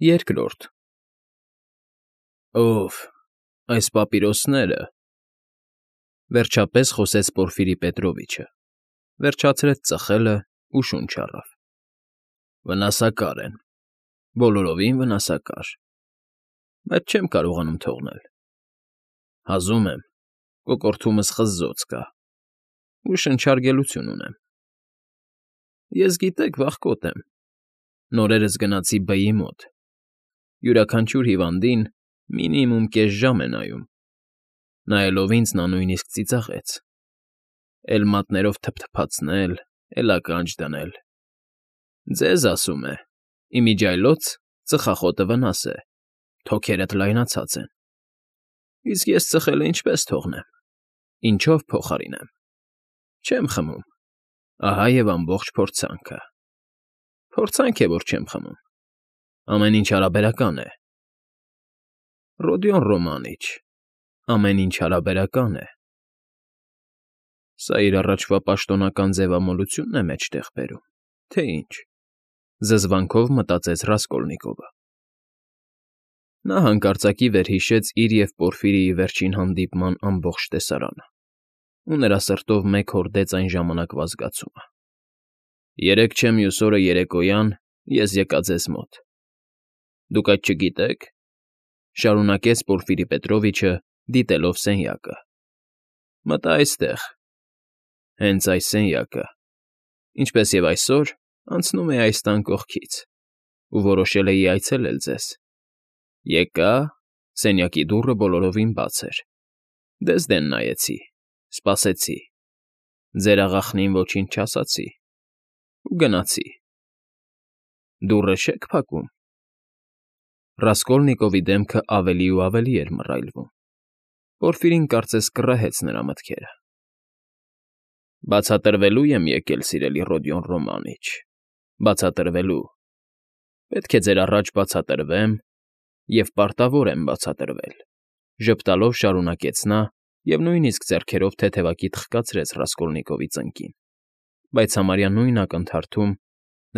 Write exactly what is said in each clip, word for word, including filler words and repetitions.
Երկրորդ Ով, այս պապիրոսները,֊ վերջապես խոսեց Պորֆիրի Պետրովիչը, վերջացրեց ծխելն ու շունչ առավ,֊ վնասակար են, բոլորովին վնասակար, բայց չեմ կարողանում թողնել, հազում եմ, կոկորդումս խզզոց կա ու շնչարգելություն ունեմ, ես, գիտեք, վախկոտ եմ, նորերս գնացի Բ֊ի մոտ, յուրաքանչյուր հիվանդին մինիմում կես ժամ է նայում, նայելով ինձ նա նույնիսկ ծիծաղեց, էլ մատներով թփթփացնել, էլ ականջ դնել, ձեզ, ասում է, իմիջիայլոց ծխախոտը վնաս է, թոքերդ լայնացած են, իսկ ես ծխելն ինչպես թողնեմ, ինչով փոխարինեմ, չեմ խմում, ահա և ամբողջ փորձանքը, փորձանք է, որ չեմ խմում, ամեն ինչ հարաբերական է, Ռոդիոն Ռոմանիչ, ամեն ինչ հարաբերական է, սա իր առաջվա պաշտոնական ձևամոլությունն է մեջտեղ բերում, թե ինչ, զզվանքով մտածեց Ռասկոլնիկովը. նա հանկարծակի վերհիշեց իր և Պորֆիրիի վերջին հանդիպման ամբողջ տեսարանը ու նրա սրտով մեկ հորդեց այն ժամանակվա զգացումը. երեկ չէ մյուս օրը երեկոյան ես եկա ձեզ մոտ, դուք այդ չգիտե՞ք,֊ շարունակեց Պորֆիրի Պետրովիչը, դիտելով սենյակը,֊ մտա այստեղ, հենց այս սենյակը, ինչպես և այսօր անցնում էի այս տան կողքից ու որոշել էի այցելել ձեզ, եկա, սենյակի դուռը բոլորովին բաց էր, դեզ դեն նայեցի, սպասեցի, ձեր աղախնին ոչինչ չասացի ու գնացի, դուռը չե՞ք փակում… Ռասկոլնիկովի դեմքը ավելի ու ավելի էր մռայլվում, Պորֆիրին կարծես կռահեց նրա մտքերը։ ֊ Բացատրվելու եմ եկել, սիրելի Ռոդիոն Ռոմանիչ, բացատրվելու, պետք է ձեր առաջ բացատրվեմ և պարտավոր եմ բացատրվել,֊ ժպտալով շարունակեց նա և նույնիսկ ձեռքերով թեթևակի թխկացրեց Ռասկոլնիկովի ծնկին, բայց համարյա նույն ակնթարթում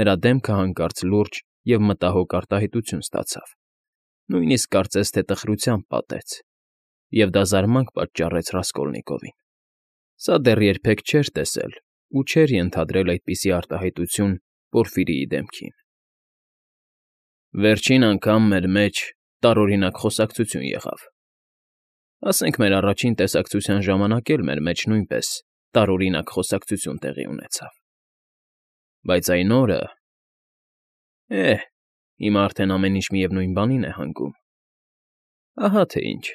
նրա դեմքը հանկարծ լուրջ և մտահոգ արտահայտություն ստացավ, նույնիսկ կարծես թե տխրությամբ պատեց, և դա զարմանք պատճառեց Ռասկոլնիկովին. սա դեռ երբեք չէր տեսել ու չէր ենթադրել այդպիսի արտահայտություն Պորֆիրիի դեմքին։ ֊ Վերջին անգամ մեր մեջ տարօրինակ խոսակցություն եղավ, ասենք մեր առաջին տեսակցության ժամանակ էլ մեր մեջ նույնպես տարօրինակ խոսակցություն տեղի ունեցավ, բայց այն օրը… Է՜հ, հիմա արդեն ամեն ինչ միևնույն բանին է հանգում, ահա թե ինչ,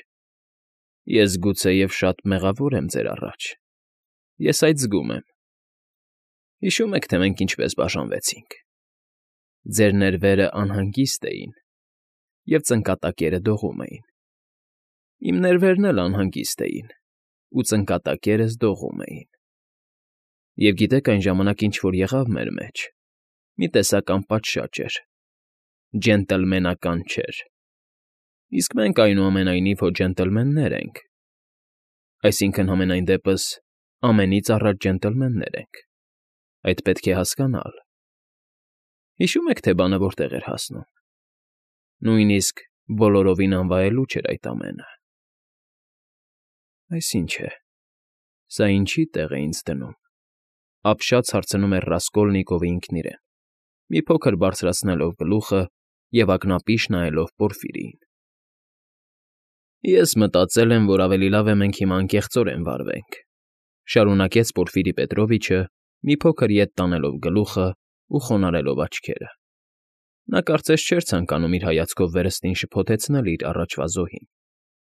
ես գուցեև շատ մեղավոր եմ ձեր առաջ, ես այդ զգում եմ, հիշո՞ւմ եք, թե մենք ինչպես բաժանվեցինք, ձեր ներվերը անհանգիստ էին, և ծնկատակերը դողում էին, իմ ներվերն էլ անհանգիստ էին ու ծնկատակերս դողում էին, և գիտեք այն ժամանակ ինչ֊որ եղավ մեր մեջ, մի տեսակ անպատշաճ էր, ջենտլմենական չէր, իսկ մենք, այնուամենայնիվ, հո ջենտլմեններ ենք, այսինքն՝ համենայն դեպս ամենից առաջ ջենտլմեններ ենք, այդ պետք է հասկանալ, հիշո՞ւմ եք, թե բանը որտեղ էր հասնում, նույնիսկ բոլորովին անվայելուչ էր այդ ամենը… Այս ի՞նչ է, սա ինչի՞ տեղ է ինձ դնում,֊ ապշած հարցնում էր Ռասկոլնիկովը ինքն իրեն, մի փոքր բարձրացնելով գլուխը և ակնապիշ նայելով Պորֆիրիին։ ֊ Ես մտածել եմ, որ ավելի լավ է մենք հիմա անկեղծորեն վարվենք,֊ շարունակեց Պորֆիրի Պետրովիչը, մի փոքր ետ տանելով գլուխն ու խոնարհելով աչքերը. նա կարծես չէր ցանկանում իր հայացքով վերստին շփոթեցնել իր առաջվա զոհին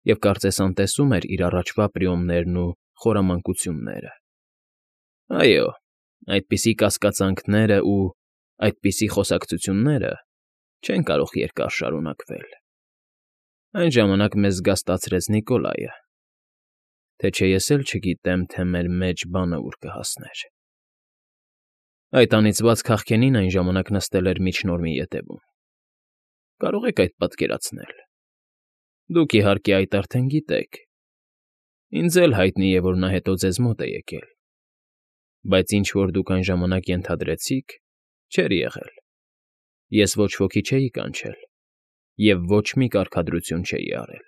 և կարծես անտեսում էր իր առաջվա պրիոմներն ու խորամանկությունները։ այո, այդպիսի կասկածանքներն ու… այդպիսի խոսակցությունները չեն կարող երկար շարունակվել… Այն ժամանակ մեզ զգաստացրեց Նիկոլայը, թե չէ ես էլ չգիտեմ, թե մեր մեջ բանը ուր կհասներ… Այդ անիծված քաղքենին այն ժամանակ նստել էր միջնորմի ետևում, կարող եք այդ պատկերացնել… Դուք, իհարկե, այդ արդեն գիտեք, ինձ էլ հայտնի է, որ նա հետո ձեզ մոտ է եկել, բայց ինչ֊որ դուք այն ժամանակ ենթադրեցիք, չէր եղել, ես ոչ ոքի չէի կանչել, և ոչ մի կարգադրություն չէի արել։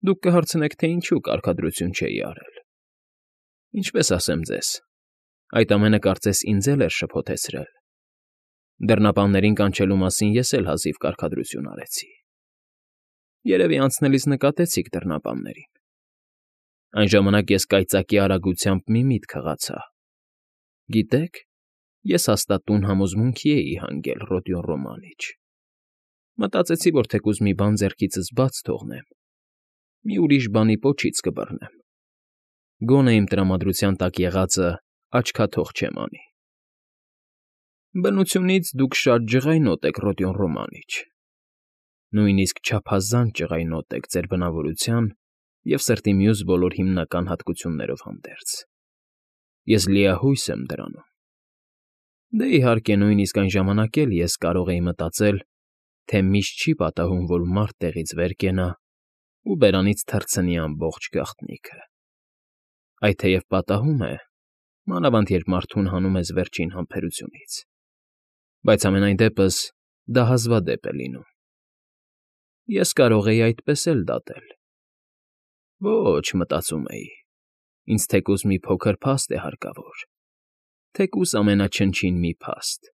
Դուք կհարցնեք, թե ինչու կարգադրություն չէի արել։ Ինչպես ասեմ ձեզ, այդ ամենը կարծես ինձ էլ էր շփոթեցրել։ Դռնապաններին կանչելու մասին ես էլ հազիվ կարգադրություն արեցի։ Երևի անցնելիս նկատեցիք դռնապաններին։ Այն ժամանակ ես կայծակի արագությամբ մի միտք հղացա։ Գիտեք, ես հաստատ տուն համոզմունքի էի հանգել Ռոդիոն Ռոմանիչ։ Մտածեցի, որ թեկուզ մի բան ձեռքիցս բաց թողնեմ, մի ուրիշ բանի պոչից կբռնեմ։ Գոնե իմ տրամադրության տակ եղածը աչքաթող չեմ անի։ Բնությունից դուք շատ ջղայնոտ եք, Ռոդիոն Ռոմանիչ, նույնիսկ չափազանց ջղայնոտ եք ձեր բնավորության և սրտի մյուս բոլոր հիմնական հատկություններով հանդերձ։ Ես լիահույս եմ դրանում։ Դե, իհարկե, նույնիսկ այն ժամանակ էլ ես կարող էի մտածել, թե միշտ չի պատահում, որ մարդ տեղից վեր կենա ու բերանից թռցնի ամբողջ գաղտնիքը։ Այդ թեև պատահում է, մանավանդ երբ մարդուն հանում ես վերջին համբերությունից, բայց համենայն դեպս դա հազվադեպ է լինում։ Ես կարող էի այդպես էլ դատել։ Ոչ, մտածում էի, ինձ թեկուզ մի փոքր փաստ է հարկավոր, թեկուզ ամենաչնչին մի փաստ,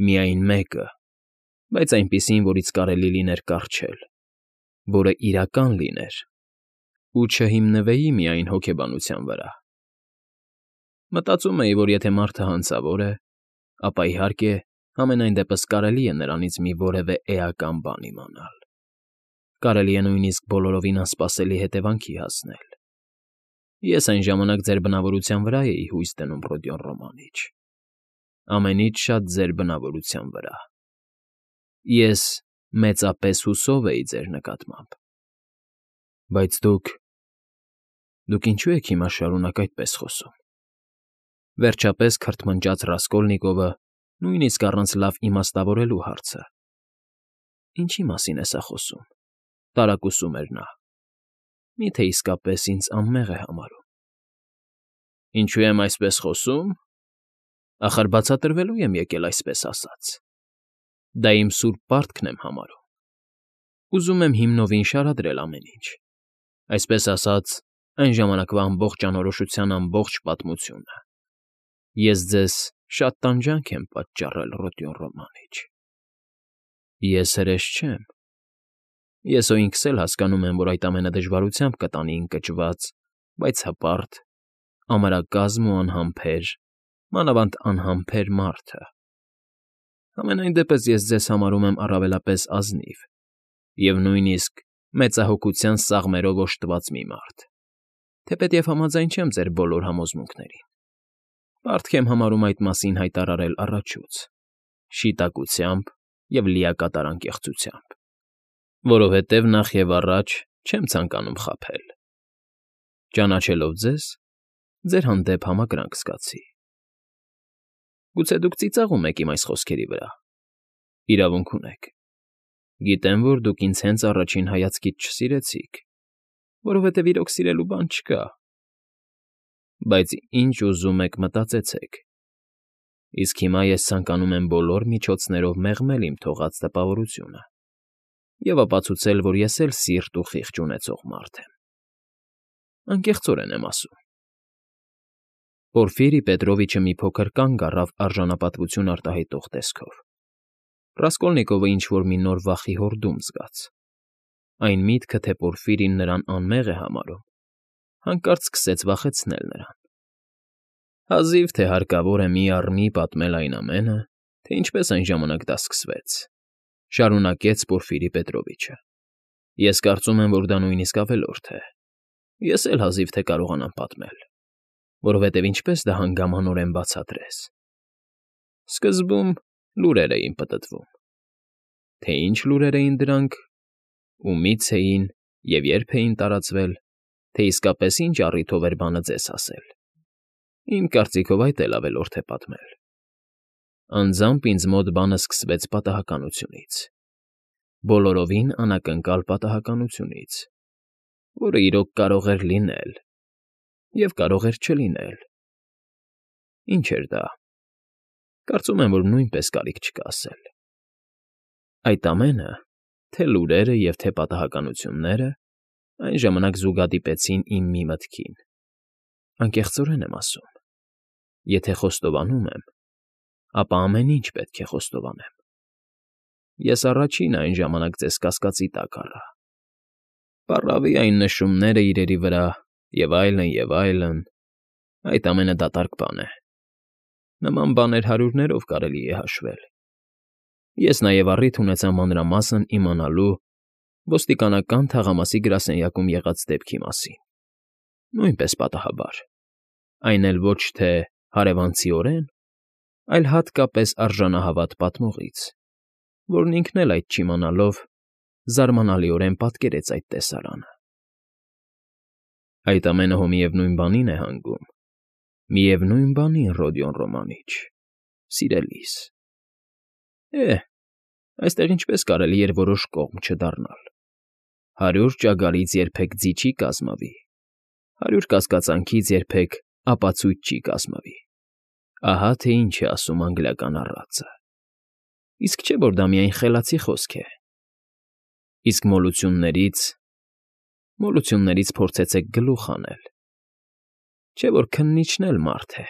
միայն մեկը, բայց այնպիսին, որից կարելի լիներ կառչել, որը իրական լիներ ու չհիմնվեի միայն հոգեբանության վրա։ Մտածում էի, որ եթե մարդը հանցավոր է, ապա, իհարկե, համենայն դեպս կարելի է նրանից մի որևէ էական բան իմանալ։ Կարելի է նույնիսկ բոլորովին անսպասելի հետևանքի հասնել։ Ես այն ժամանակ ձեր բնավորության վրա էի հույս դնում, Ռոդիոն Ռոմանիչ, ամենից շատ ձեր բնավորության վրա։ Ես մեծապես հուսով էի ձեր նկատմամբ։ Բայց դուք… Դուք ինչո՞ւ եք հիմա շարունակ այդպես խոսում,֊ վերջապես քրթմնջաց Ռասկոլնիկովը, նույնիսկ առանց լավ իմաստավորելու հարցը։ Ինչի մասին է սա խոսում,֊ տարակուսում էր նա։ Մի՞թե իսկապես ինձ անմեղ է համարում։ Ինչո՞ւ եմ այսպես խոսում։ Ախր բացատրվելու եմ եկել, այսպես ասած։ Դա իմ սուրբ պարտքն եմ համարում։ Ուզում եմ հիմնովին շարադրել ամեն ինչ, այսպես ասած, այն ժամանակվա ամբողջ անորոշության ամբողջ պատմությունը։ Ես ձեզ շատ տանջանք եմ պատճառել, Ռոդիոն Ռոմանիչ։ Ես հրես չեմ։ Ես հո ինքս էլ հասկանում եմ, որ այդ ամենը դժվարությամբ կտանի ընկճված, բայց հպարտ, ամրակազմ ու անհամբեր, մանավանդ անհամբեր մարդը։ Համենայն դեպս ես ձեզ համարում եմ առավելապես ազնիվ և նույնիսկ մեծահոգության սաղմերով օժտված մի մարդ, թեպետև համաձայն չեմ ձեր բոլոր համոզմունքներին։ Պարտք եմ համարում այդ մասին հայտարարել առաջուց, շիտակությամբ և լիակատար անկեղծությամբ, որովհետև նախ և առաջ չեմ ցանկանում խաբել։ Ճանաչելով ձեզ, ձեր հանդեպ համակրանք զգացի։ Գուցե դուք ծիծաղում եք իմ այս խոսքերի վրա։ Իրավունք ունեք։ Գիտեմ, որ դուք ինձ հենց առաջին հայացքից չսիրեցիք, որովհետև իրոք սիրելու բան չկա։ Բայց ինչ ուզում եք մտածեցեք։ Իսկ հիմա ես ցանկանում եմ բոլոր միջոցներով մեղմել իմ թողած տպավորությունը և ապացուցել, որ ես էլ սիրտ ու խիղճ ունեցող մարդ եմ։ Անկեղծորեն եմ ասում։ Պորֆիրի Պետրովիչը մի փոքր կանգ առավ արժանապատվություն արտահայտող տեսքով։ Ռասկոլնիկովը ինչ֊որ մի նոր վախի հորդում զգաց։ Այն միտքը, թե Պորֆիրին նրան անմեղ է համարում, հանկարծ սկսեց վախեցնել նրան։ Հազիվ թե հարկավոր է մի առ մի պատմել այն ամենը, թե ինչպես այն ժամանակ դա սկսվեց,֊ շարունակեց Պորֆիրի Պետրովիչը։ Ես կարծում եմ, որ դա նույնիսկ ավելորդ է։ Ես էլ հազիվ թե կարողանամ պատմել, որովհետև ինչպես դա հանգամանորեն բացատրես։ Սկզբում լուրեր էին պտտվում։ Թե ինչ լուրեր էին դրանք, ումից էին և երբ էին տարածվել, թե իսկապես ինչ առիթով էր բանը ձեզ հասել։ Իմ կարծիքով այդ էլ ավելորդ է պատմել։ Անձամբ ինձ մոտ բանը սկսվեց պատահականությունից, բոլորովին անակնկալ պատահականությունից, որը իրոք կարող էր լինել և կարող էր չլինել։ Ինչ էր դա։ Կարծում եմ, որ նույնպես կարիք չկա ասել։ Այդ ամենը, թե լուրերը և թե պատահականությունները այն ժամանակ զուգադիպեցին իմ մի մտքին. անկեղծորեն եմ ասում, եթե խոստովանում եմ, ապա ամեն ինչ պետք է խոստովանեմ. ես առաջինը այն ժամանակ ձեզ կասկածի տակ առա, պառավի այն նշումները իրերի վրա և այլն, և այլն, այդ ամենը դատարկ բան է, նման բաներ հարյուրներով կարելի է հաշվել, ես նաև առիթ ունեցա մանրամասն իմանալու ոստիկանական թաղամասի գրասենյակում եղած դեպքի մասին, նույնպես պատահաբար, այն էլ ոչ թե հարևանցիորեն, այլ հատկապես արժանահավատ պատմողից, որն ինքն էլ այդ չիմանալով զարմանալիորեն պատկերեց այդ տեսարանը։ Այդ ամենը հո միևնույն բանին է հանգում, միևնույն բանին, Ռոդիոն Ռոմանիչ, սիրելիս։ Է՜, այստեղ ինչպես կարելի էր որոշ կողմ չդառնալ, հարյուր ճագարից երբեք ձի չի կազմվի, հարյուր կասկածանքից երբեք ապացույց չի կազմվի, ահա թե ինչ է ասում անգլիական առածը, իսկ չէ՞ որ դա միայն խելացի խոսք է, իսկ մոլություններից, մոլություններից փորձեցեք գլուխ հանել, չէ՞ որ քննիչն էլ մարդ է։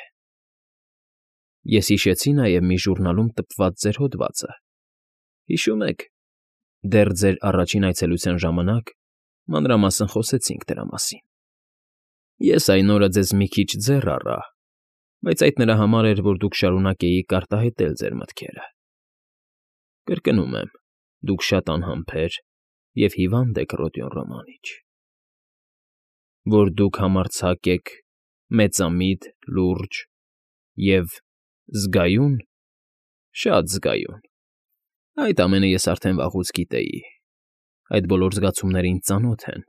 Ես հիշեցի նաև մի ժուրնալում տպված ձեր հոդվածը, հիշո՞ւմ եք, դեռ ձեր առաջին այցելության ժամանակ մանրամասն խոսեցինք դրա մասին։ Ես այն օրը ձեզ մի քիչ ձեռ առա, բայց այդ նրա համար էր, որ դուք շարունակեիք արտահայտել ձեր մտքերը։ Կրկնում եմ, դուք շատ անհամբեր և հիվանդ եք, Ռոդիոն Ռոմանիչ, որ դուք համարձակ եք, մեծամիտ, լուրջ և զգայուն, շատ զգայուն, այդ ամենը ես արդեն վաղուց գիտեի, այդ բոլոր զգացումները ինձ ծանոթ են,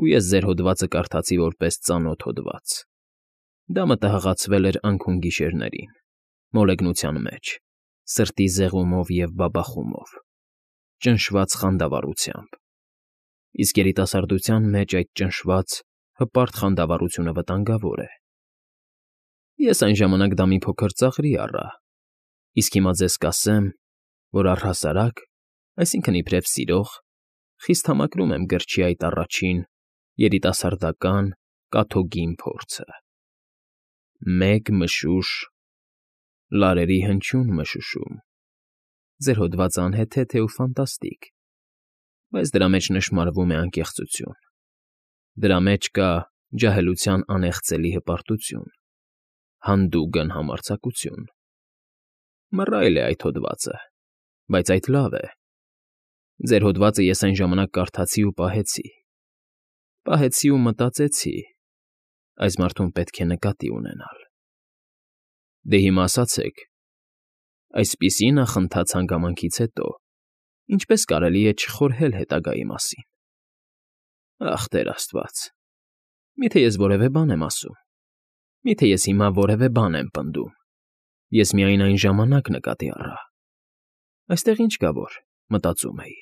ու ես ձեր հոդվածը կարդացի որպես ծանոթ հոդված, դա մտահղացվել էր անքուն գիշերներին, մոլեգնության մեջ, սրտի զեղումով և բաբախումով, ճնշված խանդավառությամբ, իսկ երիտասարդության մեջ այդ ճնշված, հպարտ խանդավառությունը վտանգավոր է։ Ես այն ժամանակ դա մի փոքր ծաղրի առա, իսկ հիմա ձեզ կասեմ, որ առհասարակ, այսինքն իբրև սիրող, խիստ համակրում եմ գրչի այդ առաջին, երիտասարդական, կաթոգին փորձը։ Մեկ մշուշ, լարերի հնչյուն մշուշում, ձեր հոդվածը անհեթեթ է ու ֆանտաստիկ, բայց դրա մեջ նշմարվում է անկեղծություն, դրա մեջ կա ջահելության անեղծելի հպարտություն, հանդուգն համարձակություն։ Մռայլ է այդ հոդվածը, բայց այդ լավ է։ Ձեր հոդվածը ես այն ժամանակ կարդացի ու պահեցի, պահեցի ու մտածեցի, այս մարդուն պետք է նկատի ունենալ։ Դե հիմա ասացեք, այսպիսի նախընթաց հանգամանքից հետո ինչպես կարելի է չխորհել հետագայի մասին։ Ախ, Տեր Աստված, միթե ես որևէ բան եմ ասում, միթե ես հիմա որևէ բան եմ պնդում, ես միայն այն ժամանակ նկատի առա։ Այստեղ ինչ կա որ, մտածում էի,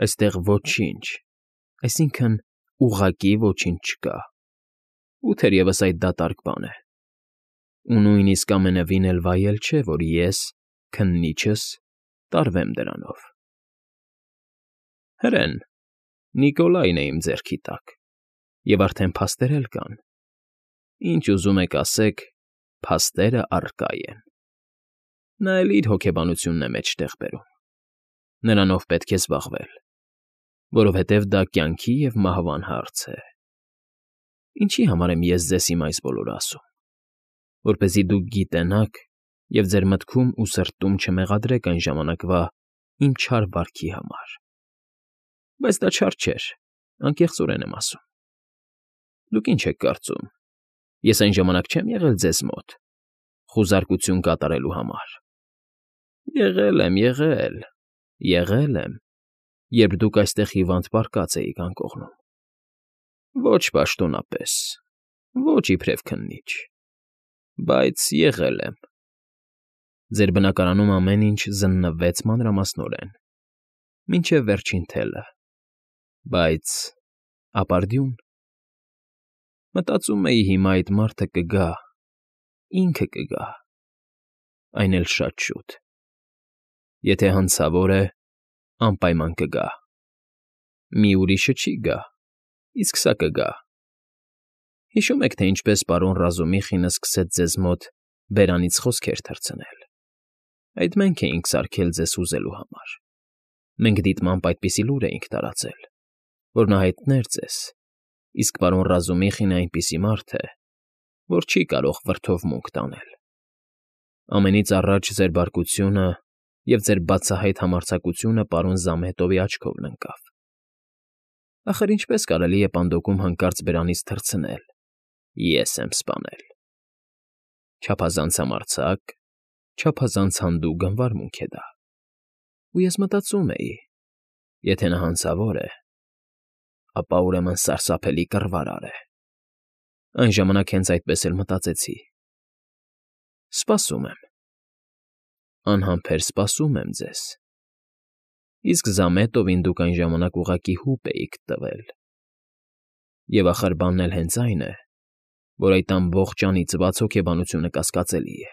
այստեղ ոչինչ, այսինքն ուղղակի ոչինչ չկա, ու թերևս այդ դատարկ բան է, ու նույնիսկ ամենևին էլ վայել չէ, որ ես, քննիչս, տարվեմ դրանով։ Հրեն, Նիկոլայն է իմ ձեռքի տակ, և արդեն փաստեր էլ կան, ինչ ուզում եք ասեք, փաստերը առկա են։ Նա էլ իր հոգեբանությունն է մեջտեղ բերում, նրանով պետք է զբաղվել, որովհետև դա կյանքի և մահվան հարց է։ Ինչի համար եմ ես ձեզ հիմա այս բոլորը ասում, որպեսզի դուք գիտենաք և ձեր մտքում ու սրտում չմեղադրեք այն ժամանակվա իմ չար վարքի համար, բայց դա չար չէր, անկեղծորեն եմ ասում։ Դուք ինչ եք կարծում, ես այն ժամանակ չեմ եղել ձեզ մոտ, խուզարկություն կատարելու համար։ Եղել եմ, եղել, եղել եմ, երբ դուք այստեղ հիվանդ պառկած էիք անկողնում։ Ոչ պաշտոնապես, ոչ իբրև քննիչ, բայց եղել եմ։ Ձեր բնակարանում ամեն ինչ զննվեց մանրամասնորեն, մինչև վերջին թելը, բայց ապարդյուն։ Մտածում էի հիմա այդ մարդը կգա, ինքը կգա, այն էլ շատ շուտ։ Եթե հանցավոր է, Անպայման կգա։ Մի ուրիշը չի գա, իսկ սա կգա։ Հիշո՞ւմ եք, թե ինչպես պարոն Ռազումիխինը սկսեց ձեզ մոտ բերանից խոսքեր թռցնել։ Այդ մենք էինք սարքել ձեզ հուզելու համար։ Մենք դիտմամբ այդպիսի լուր էինք տարածել, որ նա հայտներ ձեզ, իսկ պարոն Ռազումիխինը այնպիսի մարդ է, որ չի կարող վրդով մունք տանել։ Ամենից առաջ ձեր բարկությունը և ձեր բացահայտ համարձակությունը պարոն Զամետովի աչքովն ընկավ։ Ախր ինչպես կարելի է պանդոկում հանկարծ բերանից թռցնել։ Ես եմ սպանել։ Չափազանց համարձակ, չափազանց հանդուգն վարմունք է դա։ Ու ես մտածում էի. եթե նա հանցավոր է, ապա ուրեմն սարսափելի կռվարար է։ Այն ժամանակ հենց այդպես էլ մտածեցի։ Սպասում եմ։ Անհամբեր սպասում եմ ձեզ։ Իսկ Զամետովին դուք այն ժամանակ ուղղակի հուպ էիք տվել։ Եվ ախր բանն էլ հենց այն է, որ այդ ամբողջ անիծված հոգեբանությունը կասկածելի է։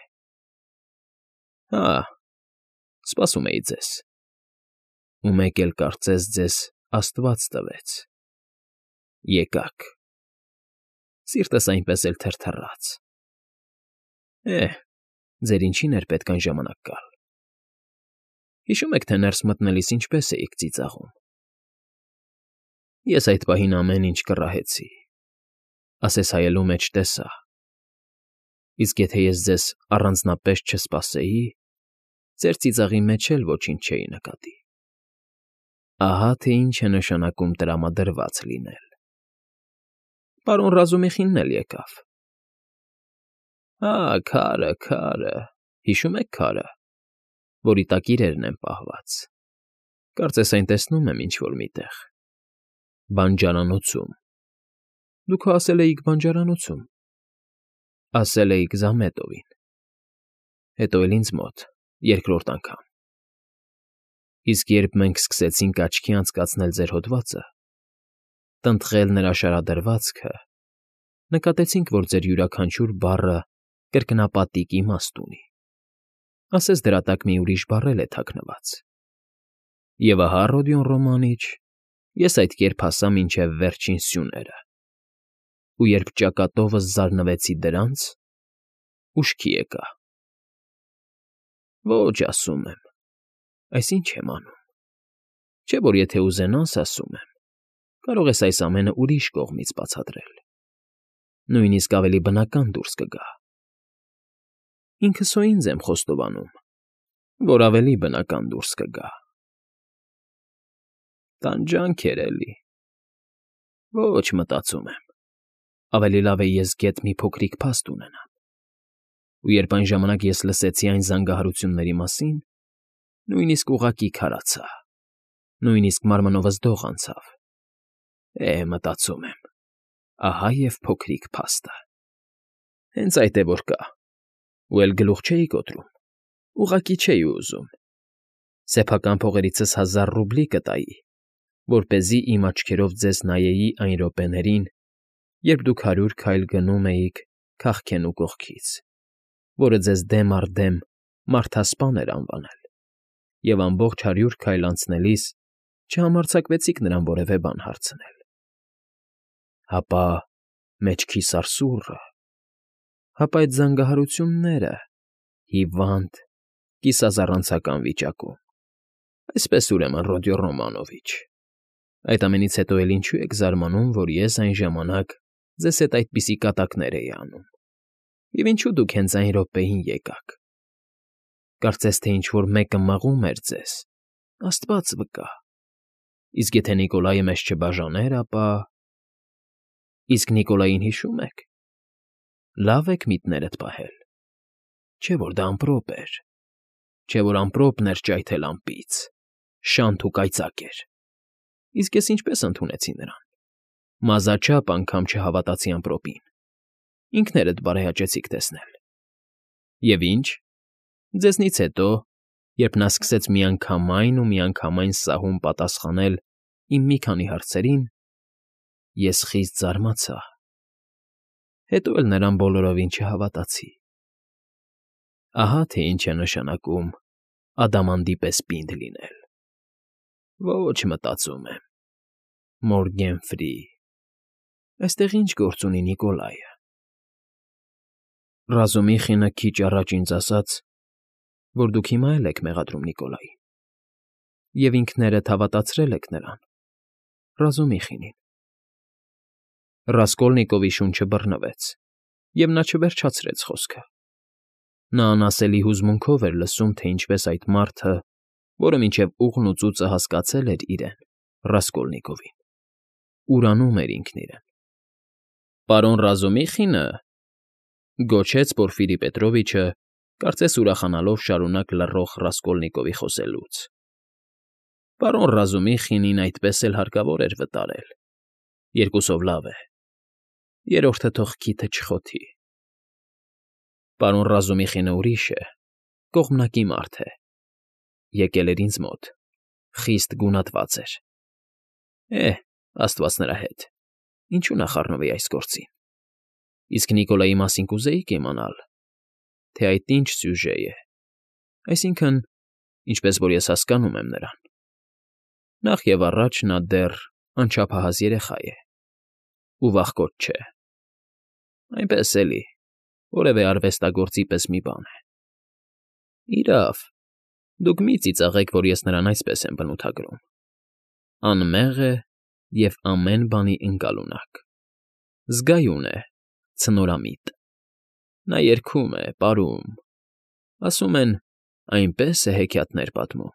Հա, սպասում էի ձեզ։ Ու մեկ էլ կարծես ձեզ աստված տվեց։ Եկաք։ Սիրտս այնպես էլ թրթռաց։ Է՜, ձեր ինչին էր պետք այն ժամանակ գալ։ Հիշո՞ւմ եք, թե ներս մտնելիս ինչպես էիք ծիծաղում։ Ես այդ պահին ամեն ինչ կռահեցի, ասես հայելու մեջ տեսա։ Իսկ եթե ես ձեզ առանձնապես չսպասեի, ձեր ծիծաղի մեջ էլ ոչինչ չէի նկատի։ Ահա թե ինչ է նշանակում տրամադրված լինել։ Պարոն Ռազումիխինն էլ եկավ։ Հա, քարը, քարը, հիշո՞ւմ եք քարը, որի տակ իրերն են պահված։ Կարծես այն տեսնում եմ ինչ֊որ մի տեղ։ Բանջարանոցում։ Դուք հո ասել էիք բանջարանոցում։ Ասել էիք Զամետովին։ Հետո էլ ինձ մոտ, երկրորդ անգամ։ Իսկ երբ մենք սկսեցինք աչքի անցկացնել ձեր հոդվածը, տնտղել նրա շարադրվածքը, նկատեցինք, որ ձեր յուրաքանչյուր բառը կրկնապատիկ իմաստ ունի, ասես դրա տակ մի ուրիշ բառ էլ է թաքնված։ Եվ ահա, Ռոդիոն Ռոմանիչ, ես այդ կերպ հասա մինչև վերջին սյուները, ու երբ ճակատովս զարնվեցի դրանց, ուշքի եկա։ Ոչ, ասում եմ, այս ինչ եմ անում։ Չէ՞ որ եթե ուզենաս, ասում եմ, կարող ես այս ամենը ուրիշ կողմից բացատրել, նույնիսկ ավելի բնական դուրս կգա։ Ինքս հո ինձ եմ խոստովանում, որ ավելի բնական դուրս կգա։ Տանջանք էր էլի։ Ոչ, մտածում եմ, ավելի լավ է ես գեթ մի փոքրիկ փաստ ունենամ։ Ու երբ այն ժամանակ ես լսեցի այն զանգահարությունների մասին, նույնիսկ ուղղակի քարացա, նույնիսկ մարմնովս դող անցավ։ Է, մտածում եմ, ահա և փոքրիկ փաստը։ Հենց այդ է որ կա։ Ու էլ գլուխ չէի կոտրում, ուղղակի չէի ուզում։ Սեփական փողերիցս հազար ռուբլի կտայի, որպեսզի իմ աչքերով ձեզ նայեի այն րոպեներին, երբ դուք հարյուր քայլ գնում էիք քաղքենու կողքից, որը ձեզ դեմ առ դեմ մարդասպան էր անվանել, և ամբողջ հարյուր քայլ անցնելիս չհամարձակվեցիք նրան որևէ բան հարցնել։ Հապա մեջքիս արսուռը, հապա այդ զանգահարությունները, հիվանդ, կիսազառանցական վիճակում։ Այսպես ուրեմն, Ռոդիո Ռոմանովիչ, այդ ամենից հետո էլ ինչու եք զարմանում, որ ես այն ժամանակ ձեզ հետ այդպիսի կատակներ էի անում, և ինչու դուք հենց այն րոպեին եկաք։ Կարծես թե ինչ֊որ մեկը մղում էր ձեզ, աստված վկա։ Իսկ եթե Նիկոլայը մեզ չբաժաներ, ապա… Իսկ Նիկոլային հիշո՞ւմ եք։ Լավ եք միտքներդ պահել։ Չէ՞ որ դա ամպրոպ էր, չէ՞ որ ամպրոպն էր ճայթել ամպից, շանթ ու կայծակ էր։ Իսկ ես ինչպես ընդունեցի նրան։ Մազաչափ անգամ չհավատացի ամպրոպին։ Ինքներդ բարեհաճեցիք տեսնել։ Եվ ինչ։ Ձեզնից հետո, երբ նա սկսեց միանգամայն ու միանգամայն սահուն պատասխանել իմ մի քանի հարցերին, ես խիստ զարմացա։ Հետո էլ նրան բոլորովին չհավատացի։ Ահա թե ինչ է նշանակում ադամանդի պես պինդ լինել։ Ոչ, մտածում եմ, Մորգենֆրի, այստեղ ինչ գործ ունի Նիկոլայը։ Ռազումիխինը քիչ առաջ ինձ ասաց, որ դուք հիմա էլ եք մեղադրում Նիկոլային, և ինքներդ հավատացրել եք նրան, Ռազումիխինին։ Ռասկոլնիկովի շունչը բռնվեց, և նա չվերջացրեց խոսքը։ Նա անասելի հուզմունքով էր լսում, թե ինչպես այդ մարդը, որը մինչև ուղն ու ծուծը հասկացել էր իրեն, Ռասկոլնիկովին, ուրանում էր ինքն իրեն։ Պարոն Ռազումիխինը,֊ գոչեց Պորֆիրի Պետրովիչը, կարծես ուրախանալով շարունակ լռող Ռասկոլնիկովի խոսելուց,֊ պարոն Ռազումիխինին այդպես էլ հարկավոր էր վտարել, երկուսով լավ է, երրորդը թող քիթը չխոթի։ Պարոն Ռազումիխինը ուրիշ է, կողմնակի մարդ է, եկել էր ինձ մոտ, խիստ գունատված էր։ Է՜, աստված նրա հետ, ինչու նա խառնվի այս գործին։ Իսկ Նիկոլայի մասին կուզեիք իմանալ, թե այդ ինչ սյուժե է, այսինքն՝ ինչպես որ ես հասկանում եմ նրան։ Նախ և առաջ նա դեռ անչափահաս երեխա է ու վախկոտ չէ, այնպես էլի, որևէ արվեստագործի պես մի բան է։ Իրավ, դուք մի՛ ծիծաղեք, որ ես նրան այսպես եմ բնութագրում. անմեղ է և ամեն բանի ընկալունակ, զգայուն է, ցնորամիտ։ Նա երգում է, պարում, ասում են, այնպես է հեքիաթներ պատմում,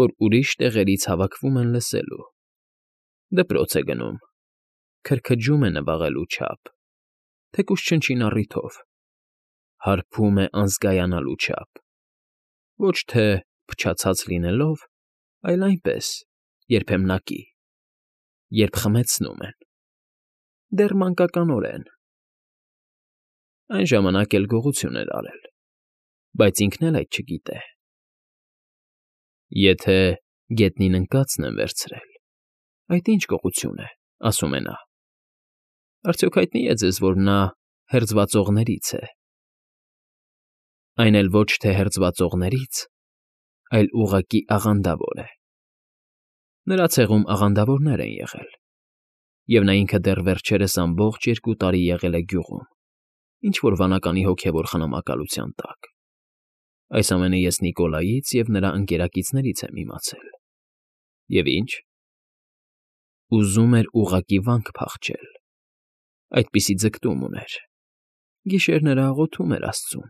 որ ուրիշ տեղերից հավաքվում են լսելու, դպրոց է գնում, քրքջում է նվաղելու չափ, թեկուզ չնչին առիթով, հարբում է անզգայանալու չափ, ոչ թե փչացած լինելով, այլ այնպես, երբեմնակի, երբ խմեցնում են, դեռ մանկականորեն։ Այն ժամանակ էլ գողություն էր արել, բայց ինքն էլ այդ չգիտե։ Եթե գետնին ընկածն եմ վերցրել, այդ ի՞նչ գողություն է, ասում է նա։ Արդյոք հայտնի է ձեզ, որ նա հերձվածողներից է։ Այն էլ ոչ թե հերձվածողներից, այլ ուղղակի աղանդավոր է։ Նրա ցեղում աղանդավորներ են եղել, և նա ինքը դեռ վերջերս ամբողջ երկու տարի եղել է գյուղում, ինչ֊որ վանականի հոգևոր խնամակալության տակ։ Այս ամենը ես Նիկոլայից և նրա ընկերակիցներից եմ իմացել։ Եվ ի՞նչ։ Ուզում էր ուղղակի վանք փախչել, այդպիսի ձգտում ուներ, գիշերները աղոթում էր աստծուն,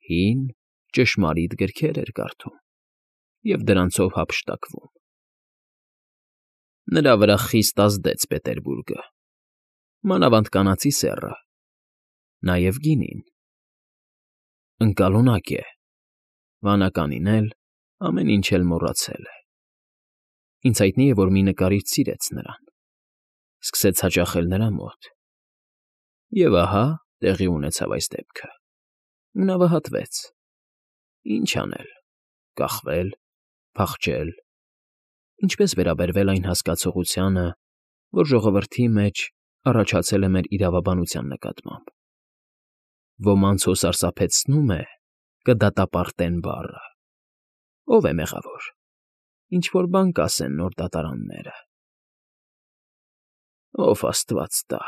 հին, ճշմարիտ գրքեր էր կարդում և դրանցով հափշտակվում։ Նրա վրա խիստ ազդեց Պետերբուրգը, մանավանդ Կանացի Սեռը, նաև գինին։ Ընկալունակ է, վանականին էլ, ամեն ինչ էլ մոռացել է։ Ինձ հայտնի է, որ մի նկարիչ սիրեց նրան, սկսեց հաճախել նրա մոտ, և ահա տեղի ունեցավ այս դեպքը, ու նա վհատվեց։ Ինչ անել՝ կախվել, փախչե՞լ, ինչպե՞ս վերաբերվել այն հասկացողությանը, որ ժողովրդի մեջ առաջացել է մեր իրավաբանության նկատմամբ։ Ոմանց հո սարսափեցնում է «կդատապարտեն» բառը։ Ո՞վ է մեղավոր, ինչ֊որ բան կասեն նոր դատարանները։ Ով աստված տա։